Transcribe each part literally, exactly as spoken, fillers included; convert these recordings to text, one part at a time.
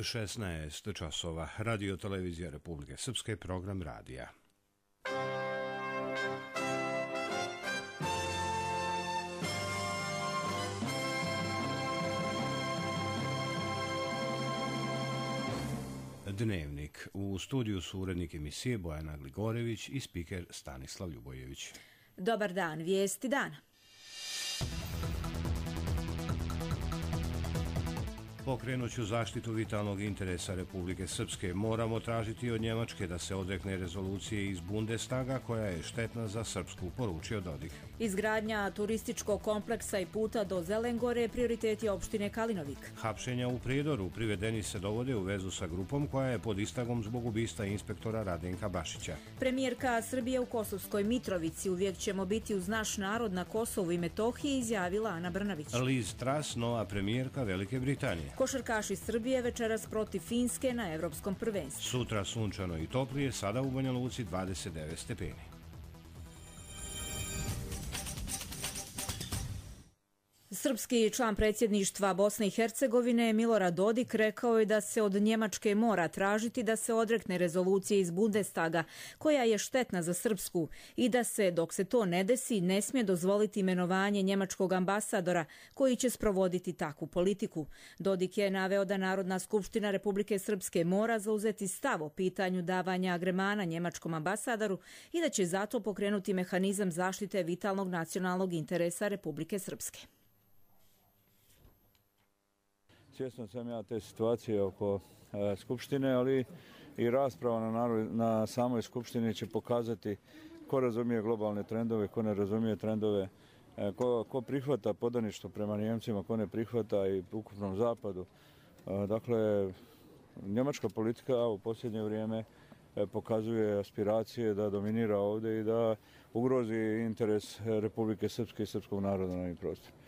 šesnaest časova. Radio televizija Republike Srpske, program radija. Dnevnik. U studiju su urednik emisije Bojana Gligorević i spiker Stanislav Ljubojević. Dobar dan, vijesti dana. Pokrenuću zaštitu vitalnog interesa Republike Srpske. Moramo tražiti od Njemačke da se odrekne rezolucije iz Bundestaga koja je štetna za Srpsku, poručio Dodik. Izgradnja turističkog kompleksa i puta do Zelengore prioritet je opštine Kalinovik. Hapšenja u Prijedoru. Privedeni se dovode u vezu sa grupom koja je pod istragom zbog ubistva inspektora Radenka Bašića. Premijerka Srbije u Kosovskoj Mitrovici. Uvijek ćemo biti uz naš narod na Kosovu i Metohiji, izjavila Ana Brnabić. Liz Truss, nova premijerka Velike Britanije. Košarkaši Srbije večeras protiv Finske na Evropskom prvenstvu. Sutra sunčano i toplije, sada u Banja Luci dvadeset devet stepeni. Srpski član predsjedništva Bosne i Hercegovine Milorad Dodik rekao je da se od Njemačke mora tražiti da se odrekne rezolucije iz Bundestaga koja je štetna za Srpsku i da se, dok se to ne desi, ne smije dozvoliti imenovanje njemačkog ambasadora koji će sprovoditi takvu politiku. Dodik je naveo da Narodna skupština Republike Srpske mora zauzeti stav o pitanju davanja agremana njemačkom ambasadoru i da će zato pokrenuti mehanizam zaštite vitalnog nacionalnog interesa Republike Srpske. Svjesno sam ja te situacije oko e, Skupštine, ali i rasprava na, narod, na samoj Skupštini će pokazati ko razumije globalne trendove, ko ne razumije trendove, e, ko, ko prihvata podaništvo prema Njemcima, ko ne prihvata i ukupnom zapadu. E, dakle, njemačka politika u posljednje vrijeme e, pokazuje aspiracije da dominira ovdje i da ugrozi interes Republike Srpske i srpskog naroda na ovim prostorima.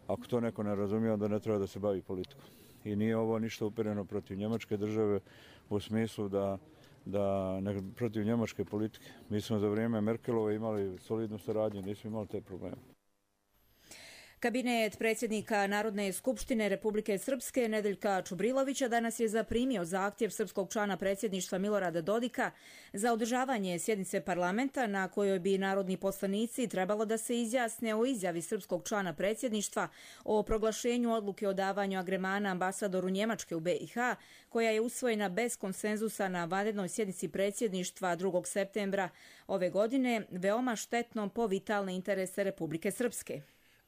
Ako to neko ne razumije, onda ne treba da se bavi politikom. I nije ovo ništa upereno protiv njemačke države u smislu da, da ne, protiv njemačke politike. Mi smo za vrijeme Merkelove imali solidnu saradnju, nismo imali te probleme. Kabinet predsjednika Narodne skupštine Republike Srpske Nedeljka Čubrilovića danas je zaprimio zahtjev srpskog člana predsjedništva Milorada Dodika za održavanje sjednice parlamenta na kojoj bi narodni poslanici trebalo da se izjasne o izjavi srpskog člana predsjedništva o proglašenju odluke o davanju agremana ambasadoru Njemačke u B i H, koja je usvojena bez konsenzusa na vanrednoj sjednici predsjedništva drugog septembra ove godine, veoma štetnom po vitalne interese Republike Srpske.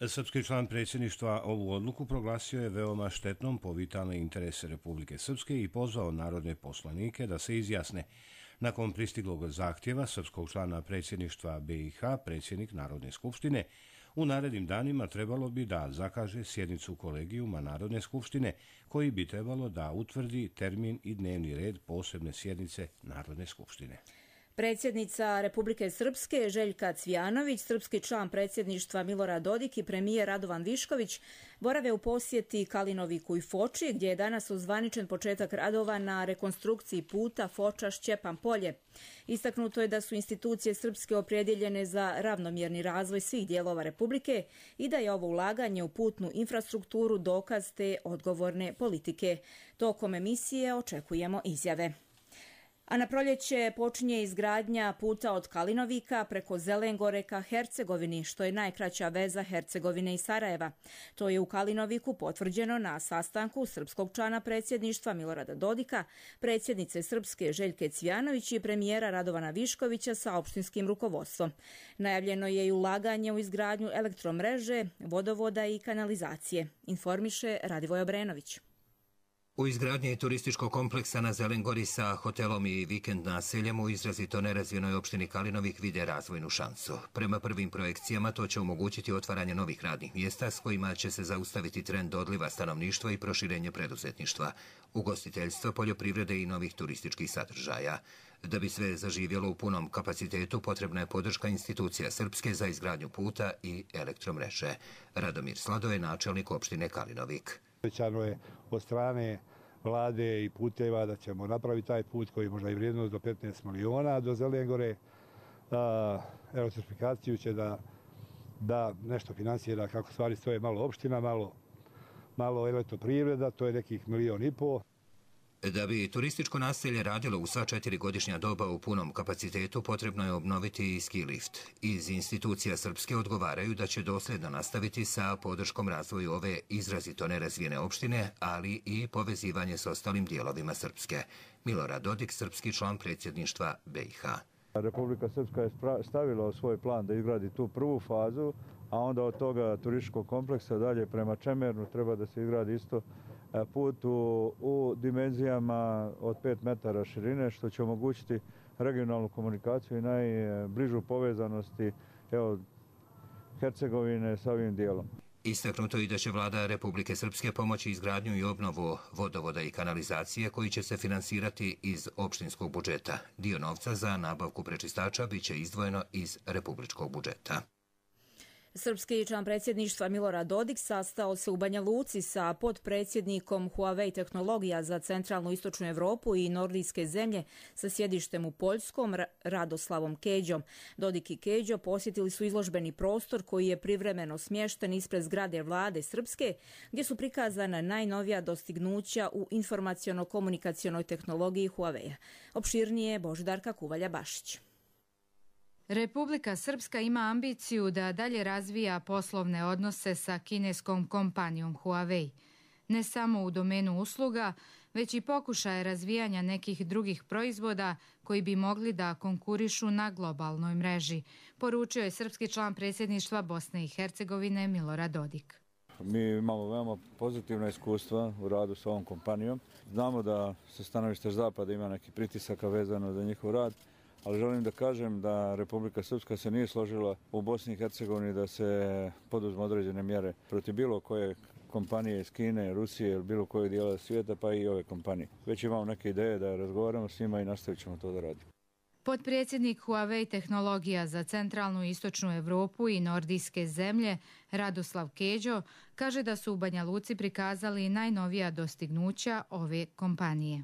Srpski član predsjedništva ovu odluku proglasio je veoma štetnom po vitalne interese Republike Srpske i pozvao narodne poslanike da se izjasne. Nakon pristiglog zahtjeva srpskog člana predsjedništva B i H, predsjednik Narodne skupštine u narednim danima trebalo bi da zakaže sjednicu kolegijuma Narodne skupštine koji bi trebalo da utvrdi termin i dnevni red posebne sjednice Narodne skupštine. Predsjednica Republike Srpske Željka Cvijanović, srpski član predsjedništva Milorad Dodik i premijer Radovan Višković borave u posjeti Kalinoviku i Foči, gdje je danas ozvaničen početak radova na rekonstrukciji puta Foča-Šćepan polje. Istaknuto je da su institucije srpske opredjeljene za ravnomjerni razvoj svih dijelova Republike i da je ovo ulaganje u putnu infrastrukturu dokaz te odgovorne politike. Tokom emisije očekujemo izjave. A na proljeće počinje izgradnja puta od Kalinovika preko Zelengore ka Hercegovini, što je najkraća veza Hercegovine i Sarajeva. To je u Kalinoviku potvrđeno na sastanku srpskog člana predsjedništva Milorada Dodika, predsjednice Srpske Željke Cvijanović i premijera Radovana Viškovića sa opštinskim rukovodstvom. Najavljeno je i ulaganje u izgradnju elektromreže, vodovoda i kanalizacije, informiše Radivoj Obrenović. U izgradnji turističkog kompleksa na Zelengori sa hotelom i vikend naseljem u izrazito nerazvijenoj opštini Kalinovik vide razvojnu šansu. Prema prvim projekcijama to će omogućiti otvaranje novih radnih mjesta s kojima će se zaustaviti trend odliva stanovništva i proširenje preduzetništva, ugostiteljstva, poljoprivrede i novih turističkih sadržaja. Da bi sve zaživjelo u punom kapacitetu, potrebna je podrška institucija Srpske za izgradnju puta i elektromreže. Radomir Slado je načelnik opštine Kalinovik. Obećano je od strane vlade i puteva da ćemo napraviti taj put koji možda i vrijednost do petnaest miliona do Zelengore. Elektrifikaciju će da, da nešto finansira kako stvari stoje malo opština, malo, malo elektroprivreda, to je nekih milion i pol. Da bi turističko naselje radilo u sva četiri godišnja doba u punom kapacitetu, potrebno je obnoviti i ski lift. Iz institucija Srpske odgovaraju da će dosljedno nastaviti sa podrškom razvoju ove izrazito nerazvijene opštine, ali i povezivanje s ostalim dijelovima Srpske. Milorad Dodik, srpski član predsjedništva be i ha. Republika Srpska je stavila u svoj plan da izgradi tu prvu fazu, a onda od toga turističkog kompleksa dalje prema Čemernu treba da se izgradi isto put u, u dimenzijama od pet metara širine, što će omogućiti regionalnu komunikaciju i najbližu povezanosti evo, Hercegovine sa ovim dijelom. Istaknuto i da će vlada Republike Srpske pomoći izgradnju i obnovu vodovoda i kanalizacije koji će se finansirati iz opštinskog budžeta. Dio novca za nabavku prečistača biće izdvojeno iz republičkog budžeta. Srpski član predsjedništva Milorad Dodik sastao se u Banja Luci sa potpredsjednikom Huawei tehnologija za centralnu i istočnu Evropu i nordijske zemlje sa sjedištem u Poljskom, Radoslavom Keđom. Dodik i Keđo posjetili su izložbeni prostor koji je privremeno smješten ispred zgrade vlade Srpske, gdje su prikazana najnovija dostignuća u informaciono-komunikacionoj tehnologiji Huawei. Opširnije Božidarka Kuvalja-Bašić. Republika Srpska ima ambiciju da dalje razvija poslovne odnose sa kineskom kompanijom Huawei. Ne samo u domenu usluga, već i pokušaje razvijanja nekih drugih proizvoda koji bi mogli da konkurišu na globalnoj mreži, poručio je srpski član predsjedništva Bosne i Hercegovine Milorad Dodik. Mi imamo veoma pozitivna iskustva u radu s ovom kompanijom. Znamo da sa stanovišta Zapada ima neki pritisaka vezano za njihov rad, ali želim da kažem da Republika Srpska se nije složila u Bosni i Hercegovini da se poduzmu određene mjere protiv bilo koje kompanije iz Kine, Rusije ili bilo koje dijela svijeta, pa i ove kompanije. Već imamo neke ideje da razgovaramo s njima i nastavit ćemo to da radimo. Potpredsjednik Huawei tehnologija za centralnu i istočnu Evropu i nordijske zemlje, Radoslav Keđo, kaže da su u Banja Luci prikazali najnovija dostignuća ove kompanije.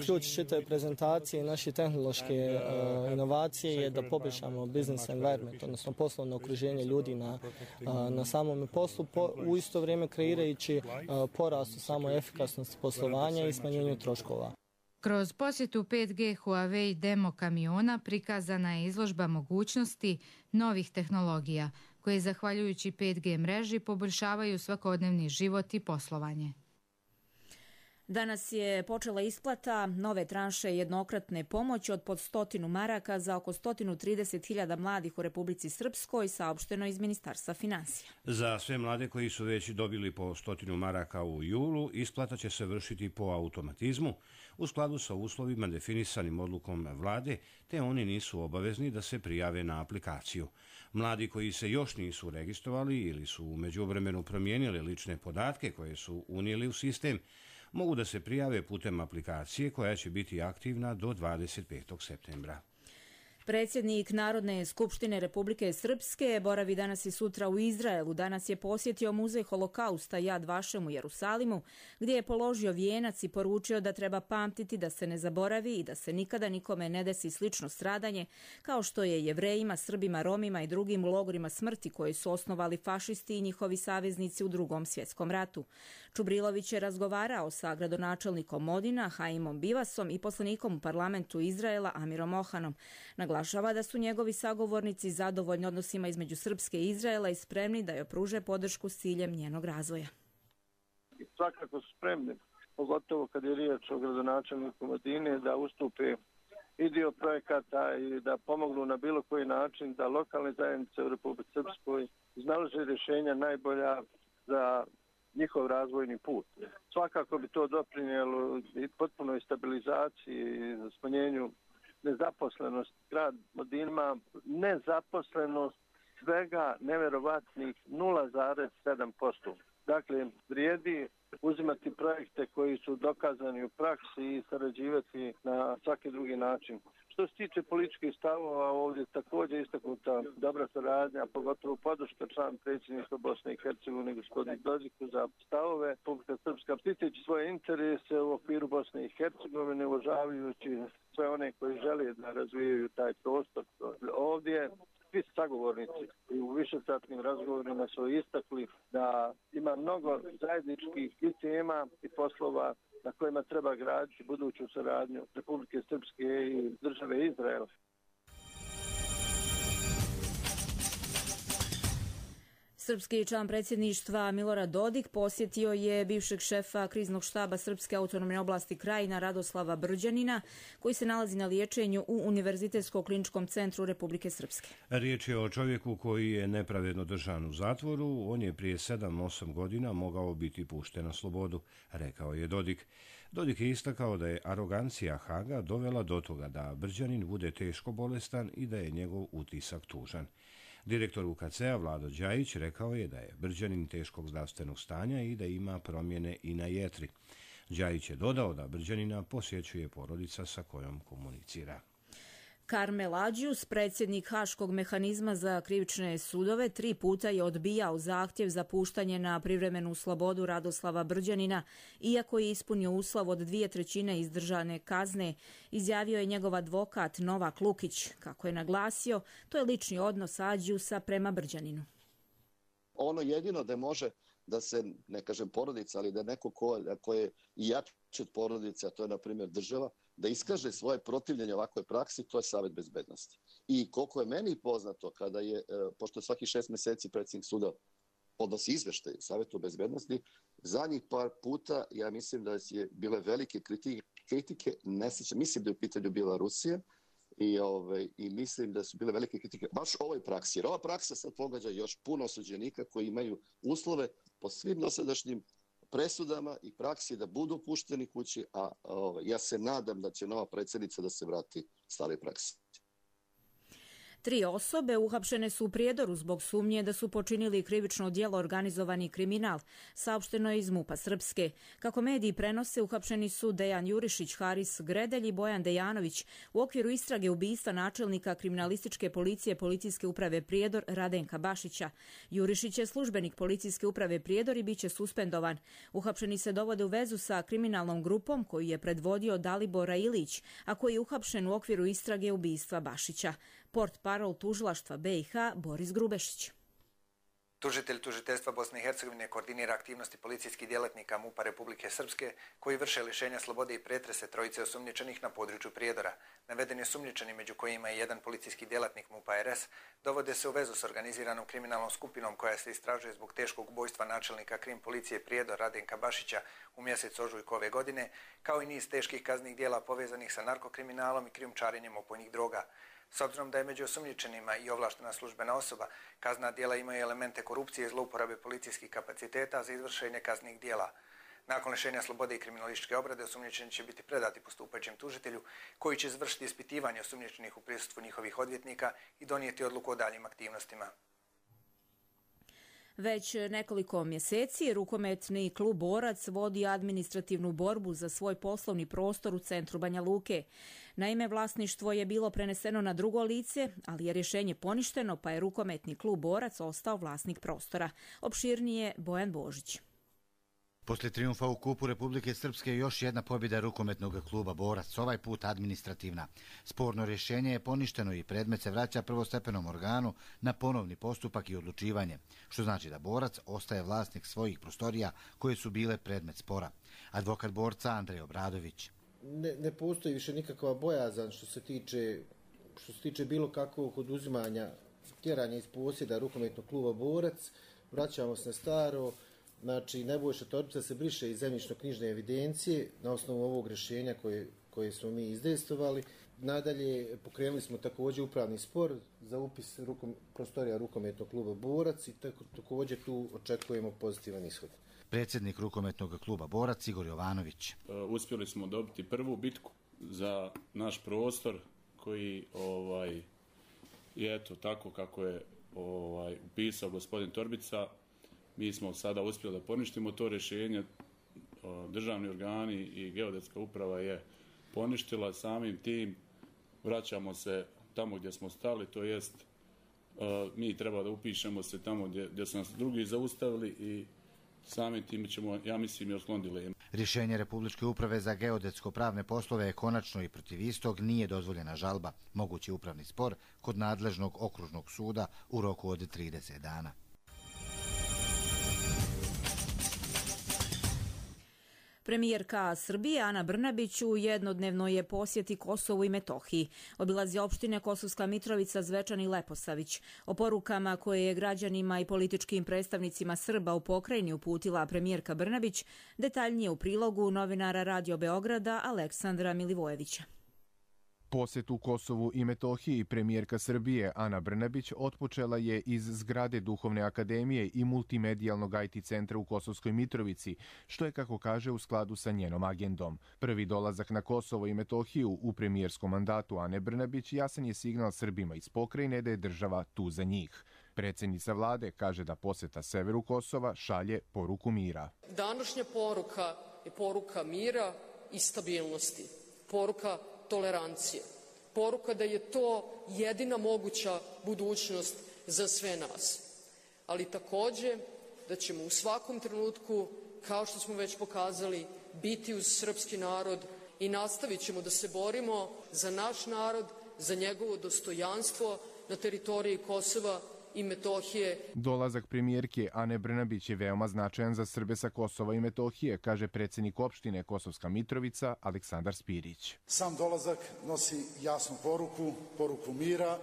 Ključ čitave prezentacije i naše tehnološke uh, inovacije je da poboljšamo business environment, odnosno poslovno okruženje ljudi na, uh, na samom poslu, po, u isto vrijeme kreirajući uh, porast u samoj efikasnosti poslovanja i smanjenju troškova. Kroz posjetu pet G Huawei demo kamiona prikazana je izložba mogućnosti novih tehnologija koje zahvaljujući pet G mreži poboljšavaju svakodnevni život i poslovanje. Danas je počela isplata nove tranše jednokratne pomoći od pod stotinu maraka za oko sto trideset hiljada mladih u Republici Srpskoj, saopšteno iz Ministarstva financija. Za sve mlade koji su već dobili po stotinu maraka u julu, isplata će se vršiti po automatizmu u skladu sa uslovima definisanim odlukom vlade, te oni nisu obavezni da se prijave na aplikaciju. Mladi koji se još nisu registrovali ili su u međuvremenu promijenili lične podatke koje su unijeli u sistem, mogu da se prijave putem aplikacije koja će biti aktivna do dvadeset petog septembra. Predsjednik Narodne skupštine Republike Srpske boravi danas i sutra u Izraelu. Danas je posjetio muzej holokausta Jad Vašem u Jerusalimu, gdje je položio vijenac i poručio da treba pamtiti da se ne zaboravi i da se nikada nikome ne desi slično stradanje, kao što je Jevrejima, Srbima, Romima i drugim logorima smrti koje su osnovali fašisti i njihovi saveznici u Drugom svjetskom ratu. Čubrilović je razgovarao sa gradonačelnikom Modina, Haimom Bivasom i poslanikom u parlamentu Izraela, Amirom Ohanom. Naglašava da su njegovi sagovornici zadovoljni odnosima između Srpske i Izraela i spremni da joj pruže podršku s ciljem njenog razvoja. Svakako su spremni, pogotovo kad je riječ o gradonačelniku Modine, da ustupe i dio projekata i da pomognu na bilo koji način da lokalne zajednice u Republici Srpskoj iznalaze rješenja najbolja za njihov razvojni put. Svakako bi to doprinijelo i potpunoj stabilizaciji i smanjenju nezaposlenost. Grad Modin ima nezaposlenost svega neverovatnih nula zarez sedam posto. Dakle, vrijedi uzimati projekte koji su dokazani u praksi i sarađivati na svaki drugi način. Što se tiče političkih stavova, ovdje također istaknuta dobra saradnja, pogotovo podrška član predsjedništva Bosne i Hercegovine gospodinu Dodiku za stavove. Republika Srpska štiteći svoje interese u okviru Bosne i Hercegovine, uvažavajući sve one koji žele da razvijaju taj prostor ovdje. svi sagovornici i u višesatnim razgovorima su istakli da ima mnogo zajedničkih i tema i poslova na kojima treba graditi buduću saradnju Republike Srpske i države Izrael. Srpski član predsjedništva Milorad Dodik posjetio je bivšeg šefa kriznog štaba Srpske autonomne oblasti Krajina Radoslava Brđanina, koji se nalazi na liječenju u Univerzitetsko-kliničkom centru Republike Srpske. Riječ je o čovjeku koji je nepravedno držan u zatvoru. On je prije sedam osam godina mogao biti pušten na slobodu, rekao je Dodik. Dodik je istakao da je arogancija Haga dovela do toga da Brđanin bude teško bolestan i da je njegov utisak tužan. Direktor U K C-a Vlado Đajić rekao je da je Brđanin teškog zdravstvenog stanja i da ima promjene i na jetri. Đajić je dodao da Brđanina posjećuje porodica sa kojom komunicira. Karmel Adžius, predsjednik Haškog mehanizma za krivične sudove, tri puta je odbijao zahtjev za puštanje na privremenu slobodu Radoslava Brđanina, iako je ispunio uslov od dvije trećine izdržane kazne, izjavio je njegov advokat Novak Lukić. Kako je naglasio, to je lični odnos Adžiusa prema Brđaninu. Ono jedino da može da se, ne kažem porodica, ali da neko ko, ko je i jači od porodice, a to je na primjer država, da iskaže svoje protivljenje ovakvoj praksi, to je Savet bezbednosti. I koliko je meni poznato, kada je, pošto svaki šest mjeseci predsjednik suda podnosi izveštaj Savetu bezbednosti, zadnjih par puta, ja mislim da je bile velike kritike, kritike ne sjećam, mislim da je u pitanju bila Rusija, i, ove, i mislim da su bile velike kritike baš ovoj praksi. Jer ova praksa sad pogađa još puno osuđenika koji imaju uslove po svim dosadašnjim presudama i praksi da budu pušteni kući, a ove, ja se nadam da će nova predsjednica da se vrati stare praksi. Tri osobe uhapšene su u Prijedoru zbog sumnje da su počinili krivično djelo organizovani kriminal, saopšteno je iz MUP-a Srpske. Kako mediji prenose, uhapšeni su Dejan Jurišić, Haris Gredelj i Bojan Dejanović u okviru istrage ubistva načelnika kriminalističke policije Policijske uprave Prijedor Radenka Bašića. Jurišić je službenik Policijske uprave Prijedor i bit će suspendovan. Uhapšeni se dovode u vezu sa kriminalnom grupom koju je predvodio Dalibor Ilić, a koji je uhapšen u okviru istrage ubistva Bašića. Port parol tužilaštva B i H Boris Grubešić. Tužitelj tužiteljstva Bosne i Hercegovine koordinira aktivnosti policijskih djelatnika MUP-a Republike Srpske koji vrše lišenja slobode i pretrese trojice osumnjičenih na području Prijedora. Navedeni osumnjičeni, među kojima je jedan policijski djelatnik MUP-a R S, dovode se u vezu s organiziranom kriminalnom skupinom koja se istražuje zbog teškog ubojstva načelnika krim policije Prijedor Radenka Bašića u mjesecu ožujku ove godine, kao i niz teških kaznenih djela povezanih sa narkokriminalom i krijumčarenjem opojnih droga. S obzirom da je među osumnjičenima i ovlaštena službena osoba, kaznena djela imaju elemente korupcije i zlouporabe policijskih kapaciteta za izvršenje kaznenih djela. Nakon lišenja slobode i kriminalističke obrade, osumnjičeni će biti predati postupajućem tužitelju, koji će izvršiti ispitivanje osumnjičenih u prisustvu njihovih odvjetnika i donijeti odluku o daljim aktivnostima. Već nekoliko mjeseci rukometni klub Borac vodi administrativnu borbu za svoj poslovni prostor u centru Banja Luke. Naime, vlasništvo je bilo preneseno na drugo lice, ali je rješenje poništeno, pa je rukometni klub Borac ostao vlasnik prostora. Opširnije Bojan Božić. Poslije trijumfa u Kupu Republike Srpske još jedna pobjeda rukometnog kluba Borac, ovaj put administrativna. Sporno rješenje je poništeno i predmet se vraća prvostepenom organu na ponovni postupak i odlučivanje, što znači da Borac ostaje vlasnik svojih prostorija koje su bile predmet spora. Advokat Borca Andrej Obradović. Ne, ne postoji više nikakva bojazan što se tiče, što se tiče bilo kakvog oduzimanja, tjeranja iz posjeda rukometnog kluba Borac. Vraćamo se na staro. Znači, Nebojša Torbica se briše iz zemljišno-knjižne evidencije na osnovu ovog rješenja koje, koje smo mi izdejstvovali. Nadalje, pokrenuli smo također upravni spor za upis rukom, prostorija rukometnog kluba Borac i tako, također tu očekujemo pozitivan ishod. Predsjednik rukometnog kluba Borac Igor Jovanović. Uspjeli smo dobiti prvu bitku za naš prostor koji ovaj, je eto tako kako je ovaj, upisao gospodin Torbica. Mi smo sada uspjeli da poništimo to rješenje, državni organi i geodetska uprava je poništila, samim tim vraćamo se tamo gdje smo stali, to jest mi treba da upišemo se tamo gdje, gdje su nas drugi zaustavili i samim time ćemo, ja mislim, i otkloniti dileme. Rješenje Republičke uprave za geodetsko-pravne poslove je konačno i protiv istog nije dozvoljena žalba, mogući upravni spor kod nadležnog okružnog suda u roku od trideset dana. Premijerka Srbije Ana Brnabić u jednodnevnoj je posjeti Kosovu i Metohiji. Obilazi opštine Kosovska Mitrovica, Zvečan i Leposavić. O porukama koje je građanima i političkim predstavnicima Srba u pokrajini uputila premijerka Brnabić detaljnije u prilogu novinara Radio Beograda Aleksandra Milivojevića. Posjet u Kosovu i Metohiji premijerka Srbije Ana Brnabić otpočela je iz zgrade Duhovne akademije i multimedijalnog I T centra u Kosovskoj Mitrovici, što je, kako kaže, u skladu sa njenom agendom. Prvi dolazak na Kosovo i Metohiju u premijerskom mandatu Ane Brnabić jasan je signal Srbima iz pokrajine da je država tu za njih. Predsjednica vlade kaže da posjeta severu Kosova šalje poruku mira. Današnja poruka je poruka mira i stabilnosti, poruka tolerancije, poruka da je to jedina moguća budućnost za sve nas, ali također da ćemo u svakom trenutku, kao što smo već pokazali, biti uz srpski narod i nastavit ćemo da se borimo za naš narod, za njegovo dostojanstvo na teritoriji Kosova i Metohije. Dolazak premijerke Ane Brnabić je veoma značajan za Srbe sa Kosova i Metohije, kaže predsjednik opštine Kosovska Mitrovica Aleksandar Spirić. Sam dolazak nosi jasnu poruku, poruku mira,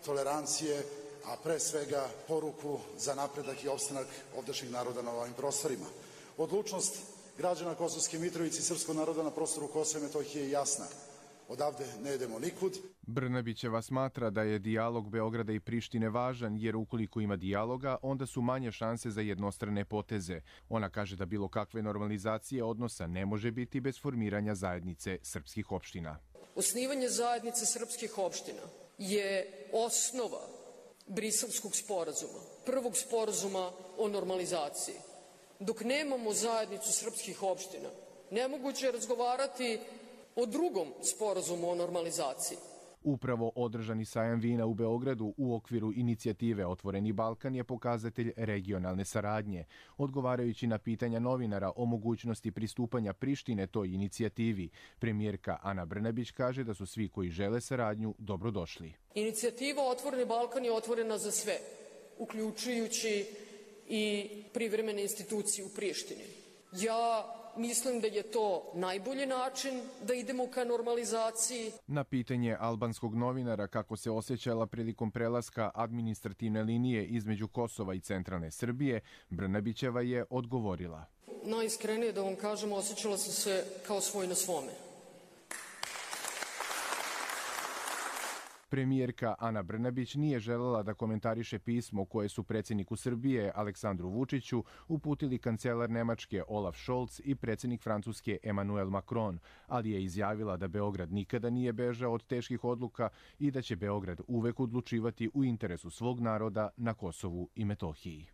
tolerancije, a pre svega poruku za napredak i opstanak ovdašnjeg naroda na ovim prostorima. Odlučnost građana Kosovske Mitrovice i srpskog naroda na prostoru Kosova i Metohije je jasna. Odavde ne idemo nikud. Brnabićeva smatra da je dijalog Beograda i Prištine važan, jer ukoliko ima dijaloga, onda su manje šanse za jednostrane poteze. Ona kaže da bilo kakve normalizacije odnosa ne može biti bez formiranja zajednice srpskih opština. Osnivanje zajednice srpskih opština je osnova Briselskog sporazuma, prvog sporazuma o normalizaciji. Dok nemamo zajednicu srpskih opština, nemoguće je razgovarati o drugom sporazumu o normalizaciji. Upravo održani sajam vina u Beogradu u okviru inicijative Otvoreni Balkan je pokazatelj regionalne saradnje. Odgovarajući na pitanja novinara o mogućnosti pristupanja Prištine toj inicijativi, premijerka Ana Brnabić kaže da su svi koji žele saradnju dobrodošli. Inicijativa Otvoreni Balkan je otvorena za sve, uključujući i privremene institucije u Prištini. Ja mislim da je to najbolji način da idemo ka normalizaciji. Na pitanje albanskog novinara kako se osjećala prilikom prelaska administrativne linije između Kosova i centralne Srbije, Brnabićeva je odgovorila. Najiskrenije da vam kažem, osjećala sam se kao svoj na svome. Premijerka Ana Brnabić nije želela da komentariše pismo koje su predsjedniku Srbije Aleksandru Vučiću uputili kancelar Nemačke Olaf Scholz i predsjednik Francuske Emmanuel Macron, ali je izjavila da Beograd nikada nije bežao od teških odluka i da će Beograd uvek odlučivati u interesu svog naroda na Kosovu i Metohiji.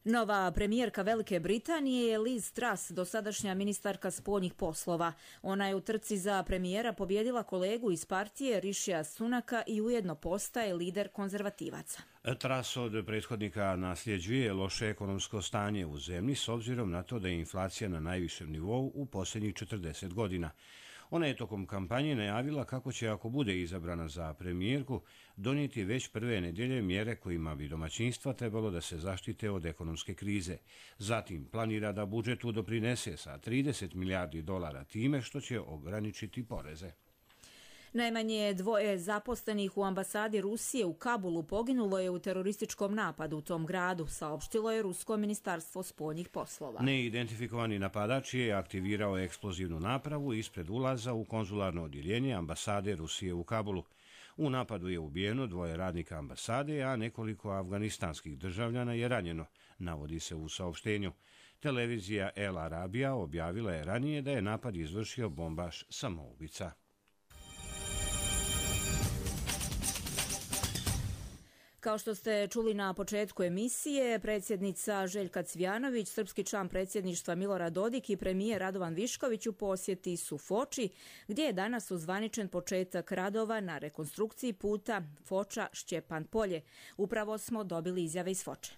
Nova premijerka Velike Britanije je Liz Truss, dosadašnja ministarka spoljnih poslova. Ona je u trci za premijera pobjedila kolegu iz partije Rišija Sunaka i ujedno postaje lider konzervativaca. Truss od prethodnika nasljeđuje loše ekonomsko stanje u zemlji s obzirom na to da je inflacija na najvišem nivou u posljednjih četrdeset godina. Ona je tokom kampanje najavila kako će, ako bude izabrana za premijerku, donijeti već prve nedjelje mjere kojima bi domaćinstva trebalo da se zaštite od ekonomske krize. Zatim planira da budžetu doprinese sa trideset milijardi dolara time što će ograničiti poreze. Najmanje dvoje zaposlenih u ambasadi Rusije u Kabulu poginulo je u terorističkom napadu u tom gradu, saopštilo je Rusko ministarstvo spoljnih poslova. Neidentifikovani napadač je aktivirao eksplozivnu napravu ispred ulaza u konzularno odjeljenje ambasade Rusije u Kabulu. U napadu je ubijeno dvoje radnika ambasade, a nekoliko afganistanskih državljana je ranjeno, navodi se u saopštenju. Televizija El Arabija objavila je ranije da je napad izvršio bombaš samoubica. Kao što ste čuli na početku emisije, predsjednica Željka Cvijanović, srpski član predsjedništva Milorad Dodik i premijer Radovan Višković u posjeti su Foči, gdje je danas uzvaničen početak radova na rekonstrukciji puta Foča-Šćepan Polje. Upravo smo dobili izjave iz Foče.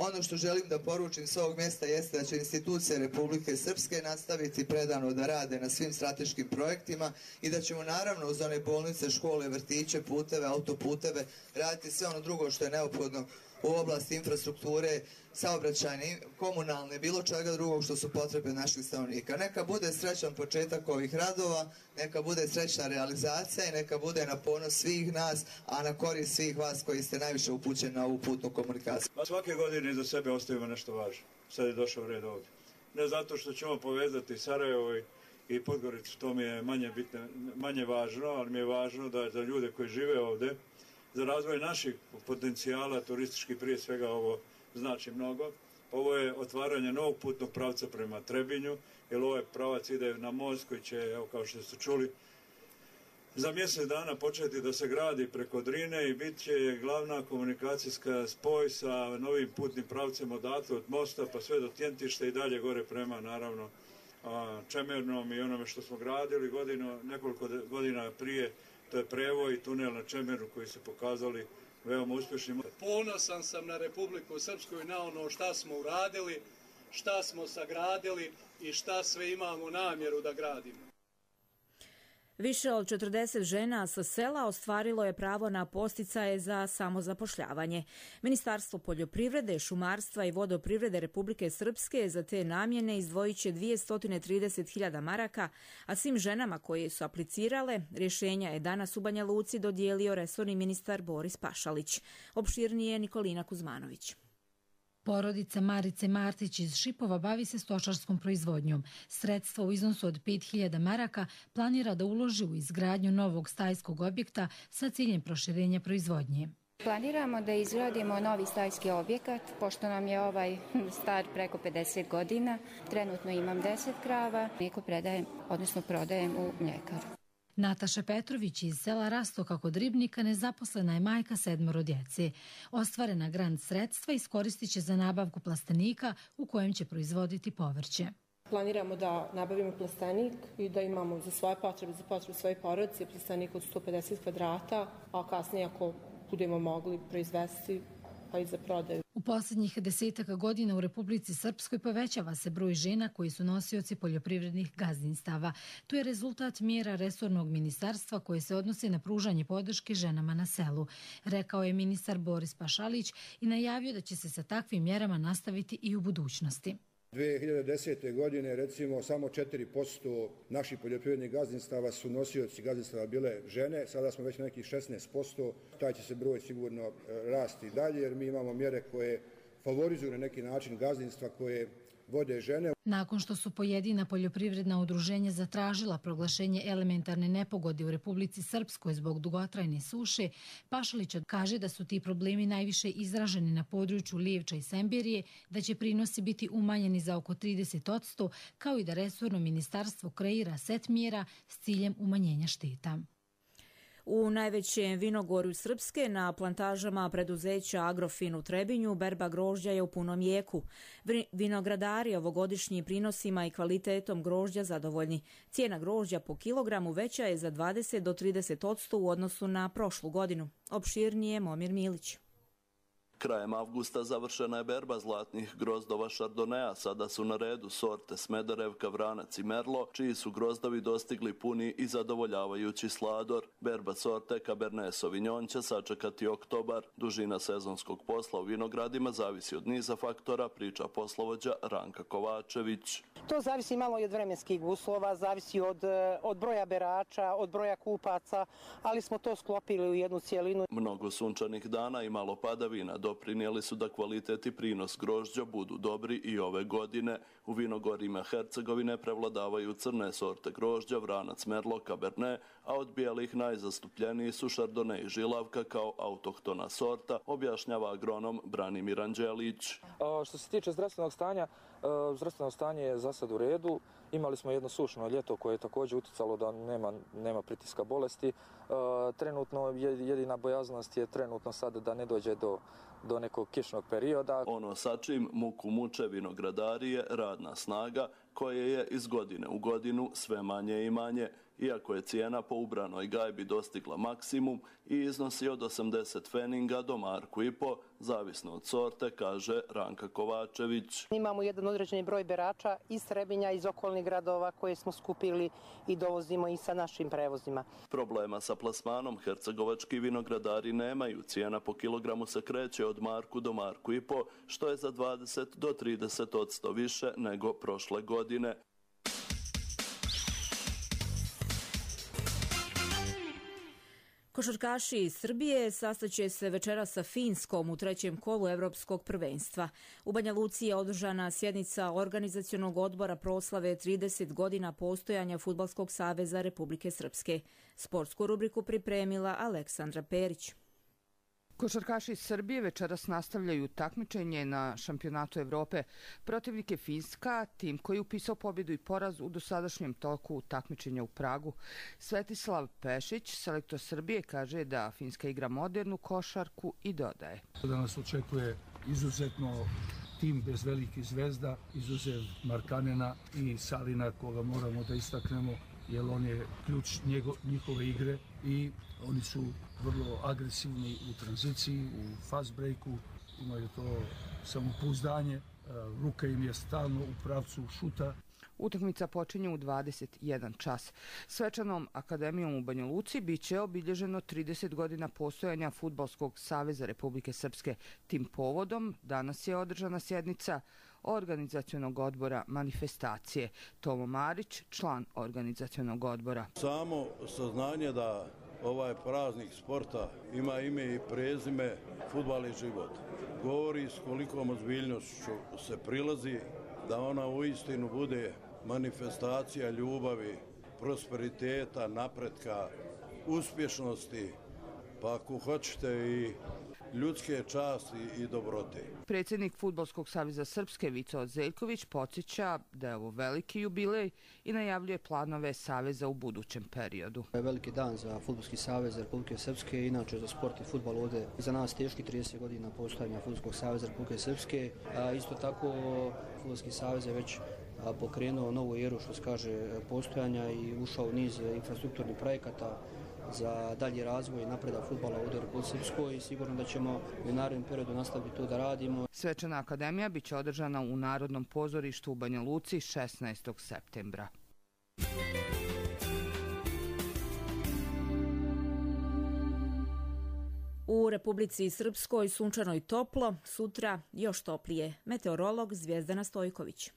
Ono što želim da poručim s ovog mjesta jeste da će institucije Republike Srpske nastaviti predano da rade na svim strateškim projektima i da ćemo naravno uz one bolnice, škole, vrtiće, puteve, autoputeve raditi sve ono drugo što je neophodno u oblasti infrastrukture, saobraćajne, komunalne, bilo čega drugog što su potrebe naših stanovnika. Neka bude srećan početak ovih radova, neka bude srećna realizacija i neka bude na ponos svih nas, a na korist svih vas koji ste najviše upućeni na ovu putnu komunikaciju. Svake godine iza sebe ostavimo nešto važno. Sad je došao red ovdje. Ne zato što ćemo povezati Sarajevo i i Podgoricu, to mi je manje bitno, manje važno, ali mi je važno da za ljude koji žive ovdje, za razvoj naših potencijala, turistički prije svega ovo znači mnogo. Ovo je otvaranje novog putnog pravca prema Trebinju, jer ovaj pravac ide na most koji će, evo kao što ste čuli, za mjesec dana početi da se gradi preko Drine i bit će glavna komunikacijska spoj sa novim putnim pravcem odatle od mosta pa sve do Tjentišta i dalje gore prema, naravno, Čemernom i onome što smo gradili godinu, nekoliko godina prije, to je prevoj i tunel na Čemeru koji se pokazali veoma uspješnim. Ponosan sam na Republiku Srpsku i na ono šta smo uradili, šta smo sagradili i šta sve imamo namjeru da gradimo. Više od četrdeset žena sa sela ostvarilo je pravo na podsticaje za samozapošljavanje. Ministarstvo poljoprivrede, šumarstva i vodoprivrede Republike Srpske za te namjene izdvojit će dvjesto trideset hiljada maraka, a svim ženama koje su aplicirale rješenja je danas u Banja Luci dodijelio resorni ministar Boris Pašalić. Opširnije Nikolina Kuzmanović. Porodica Marice Martić iz Šipova bavi se stočarskom proizvodnjom. Sredstva u iznosu od pet hiljada maraka planira da uloži u izgradnju novog stajskog objekta sa ciljem proširenja proizvodnje. Planiramo da izgradimo novi stajski objekat, pošto nam je ovaj star preko pedeset godina. Trenutno imam deset krava, neko predajem, odnosno prodajem u mljekaru. Nataša Petrović iz sela Rastoka kod Ribnika nezaposlena je majka sedmoro djece. Ostvarena grant sredstva iskoristit će za nabavku plastenika u kojem će proizvoditi povrće. Planiramo da nabavimo plastenik i da imamo za svoje potrebe, za potrebe svoje porodice, plastenik od sto pedeset kvadrata, a kasnije ako budemo mogli proizvesti pa i za prodaju. U posljednjih desetaka godina u Republici Srpskoj povećava se broj žena koji su nosioci poljoprivrednih gazdinstava. To je rezultat mjera resornog ministarstva koje se odnose na pružanje podrške ženama na selu, rekao je ministar Boris Pašalić i najavio da će se sa takvim mjerama nastaviti i u budućnosti. dvije hiljade desete. godine recimo samo četiri posto naših poljoprivrednih gazdinstava su nosioci gazdinstava bile žene, sada smo već na nekih šesnaest posto, taj će se broj sigurno rasti dalje jer mi imamo mjere koje favorizuju na neki način gazdinstva koje vode žene. Nakon što su pojedina poljoprivredna udruženja zatražila proglašenje elementarne nepogode u Republici Srpskoj zbog dugotrajne suše, Pašalić kaže da su ti problemi najviše izraženi na području Lijevča i Sembirije, da će prinosi biti umanjeni za oko trideset posto, kao i da resorno ministarstvo kreira set mjera s ciljem umanjenja šteta. U najvećem vinogorju Srpske na plantažama preduzeća Agrofin u Trebinju berba grožđa je u punom jeku. Vinogradari ovogodišnjim prinosima i kvalitetom grožđa zadovoljni. Cijena grožđa po kilogramu veća je za dvadeset do trideset posto u odnosu na prošlu godinu. Opširnije Momir Milić. Krajem avgusta završena je berba zlatnih grozdova Šardonea, sada su na redu sorte Smederevka, Vranac i Merlo, čiji su grozdovi dostigli puni i zadovoljavajući slador. Berba sorte Cabernet Sauvignon će sačekati oktobar. Dužina sezonskog posla u vinogradima zavisi od niza faktora, priča poslovođa Ranka Kovačević. To zavisi malo i od vremenskih uslova, zavisi od, od broja berača, od broja kupaca, ali smo to sklopili u jednu cijelinu. Mnogo sunčanih dana i malo padavina doprinijeli su da kvalitet i prinos grožđa budu dobri i ove godine. U vinogorjima Hercegovine prevladavaju crne sorte grožđa, Vranac, Merlo, Cabernet, a od bijelih najzastupljeniji su Chardonnay i Žilavka kao autohtona sorta, objašnjava agronom Branimir Anđelić. Što se tiče zdravstvenog stanja, zdravstveno stanje je za sad u redu. Imali smo jedno sušno ljeto koje je također utjecalo da nema, nema pritiska bolesti. Trenutno jedina bojaznost je trenutno sad da ne dođe do, do nekog kišnog perioda. Ono sa čim muku muče vinogradari je radna snaga koje je iz godine u godinu sve manje i manje. iako je cijena po ubranoj gajbi dostigla maksimum i iznosi od osamdeset feninga do marku i po, zavisno od sorte, kaže Ranka Kovačević. Imamo jedan određeni broj berača iz Trebinja, iz okolnih gradova koje smo skupili i dovozimo i sa našim prevozima. Problema sa plasmanom hercegovački vinogradari nemaju. Cijena po kilogramu se kreće od marku do marku i po, što je za dvadeset do trideset odsto više nego prošle godine. Košarkaši iz Srbije sastaće se večeras sa Finskom u trećem kolu Evropskog prvenstva. U Banja Luci je održana sjednica organizacionog odbora proslave trideset godina postojanja Fudbalskog saveza Republike Srpske. Sportsku rubriku pripremila Aleksandra Perić. Košarkaši iz Srbije večeras nastavljaju takmičenje na šampionatu Evrope. Protivnik je Finska, tim koji je upisao pobjedu i poraz u dosadašnjem toku takmičenja u Pragu. Svetislav Pešić, selektor Srbije, kaže da Finska igra modernu košarku i dodaje. Da nas očekuje izuzetno tim bez velikih zvezda, izuzev Markanena i Salina, koga moramo da istaknemo, jer on je ključ njihove igre i oni su vrlo agresivni u tranziciji, u fast breaku, imaju to samopouzdanje, ruka im je stalno u pravcu šuta. Utakmica počinje u dvadeset jedan čas. Svečanom akademijom u Banja Luci biće obilježeno trideset godina postojanja Fudbalskog saveza Republike Srpske. Tim povodom danas je održana sjednica organizacionog odbora manifestacije. Tomo Marić, član organizacionog odbora. Samo saznanje da ovaj praznik sporta ima ime i prezime fudbal je život. Govori s kolikom ozbiljnošću se prilazi da ona uistinu bude manifestacija ljubavi, prosperiteta, napretka, uspješnosti, pa ako hoćete i ljudske časti i dobrote. Predsjednik Fudbalskog saveza Srpske Vico Zeljković podsjeća da je ovo veliki jubilej i najavljuje planove saveza u budućem periodu. Veliki dan za Fudbalski savez Republike Srpske, inače za sport i fudbal ovdje za nas teški trideset godina postojanja Fudbalskog saveza Republike Srpske. A isto tako Fudbalski savez je već pokrenuo novu eru, što se kaže, postojanja i ušao u niz infrastrukturnih projekata za dalji razvoj i napredak fudbala ovdje u Republici Srpskoj i sigurno da ćemo u narednom periodu nastaviti to da radimo. Svečana akademija biće održana u Narodnom pozorištu u Banja Luci šesnaestog septembra. U Republici Srpskoj sunčano i toplo, sutra još toplije. Meteorolog Zvijezdana Stojković.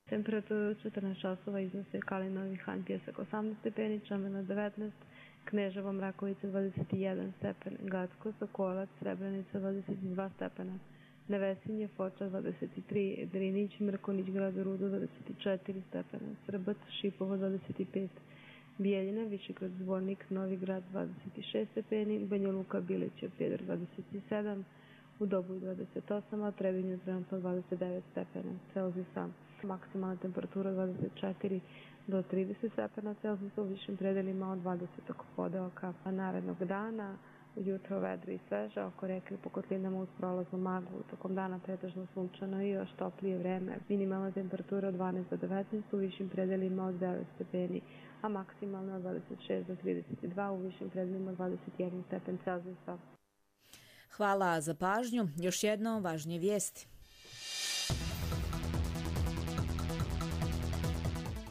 Temperatura četrnaest časova iznose Kalinovi Han Pjesak osamnaest stepeni, Čamenak devetnaest, Kneževo Mrakovica dvadeset jedan stepen, Gacko, Sokolac, Srebrenica dvadeset dva stepena, Nevesinje, Foča dvadeset tri, Drinić, Mrkonić, Grad Rudo dvadeset četiri stepena, Srbac, Šipovo dvadeset pet, Bijeljina, Višegrad, Zvornik, Novi Grad dvadeset šest stepeni, Banja Luka, Bileće, Prijedor dvadeset sedam, u Doboju dvadeset osam, a Trebinju trenutno dvadeset devet stepena Celzijusa. Maksimalna temperatura dvadeset četiri do trideset stepena Celzijusa, u višim predelima od dvadeset oko podeoka. Narednog dana ujutro vedro i sveže, oko reke po kotlinama uz prolaznu maglu. Tokom dana pretežno sunčano i još toplije vreme. Minimalna temperatura od dvanaest do devetnaest, u višim predelima od devet stepeni, a maksimalna od dvadeset šest do trideset dva, u višim predelima od dvadeset jedan stepen Celzijusa. Hvala za pažnju. Još jedno važnije vijesti.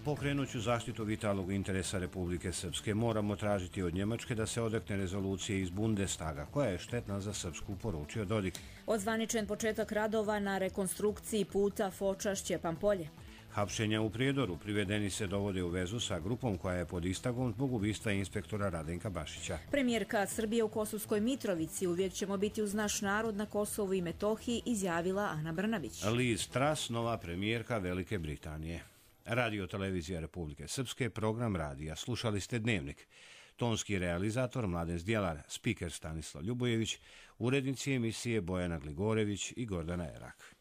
Pokrenuću zaštitu vitalnog interesa Republike Srpske. Moramo tražiti od Njemačke da se odrekne rezolucije iz Bundestaga, koja je štetna za Srpsku, poručio Dodik. Odzvaničen početak radova na rekonstrukciji puta Foča-Šćepan Polje. Hapšenja u Prijedoru, privedeni se dovode u vezu sa grupom koja je pod istragom zbog ubistva inspektora Radenka Bašića. Premijerka Srbije u Kosovskoj Mitrovici, uvijek ćemo biti uz naš narod na Kosovu i Metohiji, izjavila Ana Brnabić. Liz Truss, nova premijerka Velike Britanije. Radio televizija Republike Srpske, program radija. Slušali ste Dnevnik. Tonski realizator Mladen Zdjelar, spiker Stanislav Ljubojević, urednici emisije Bojana Gligorević i Gordana Erak.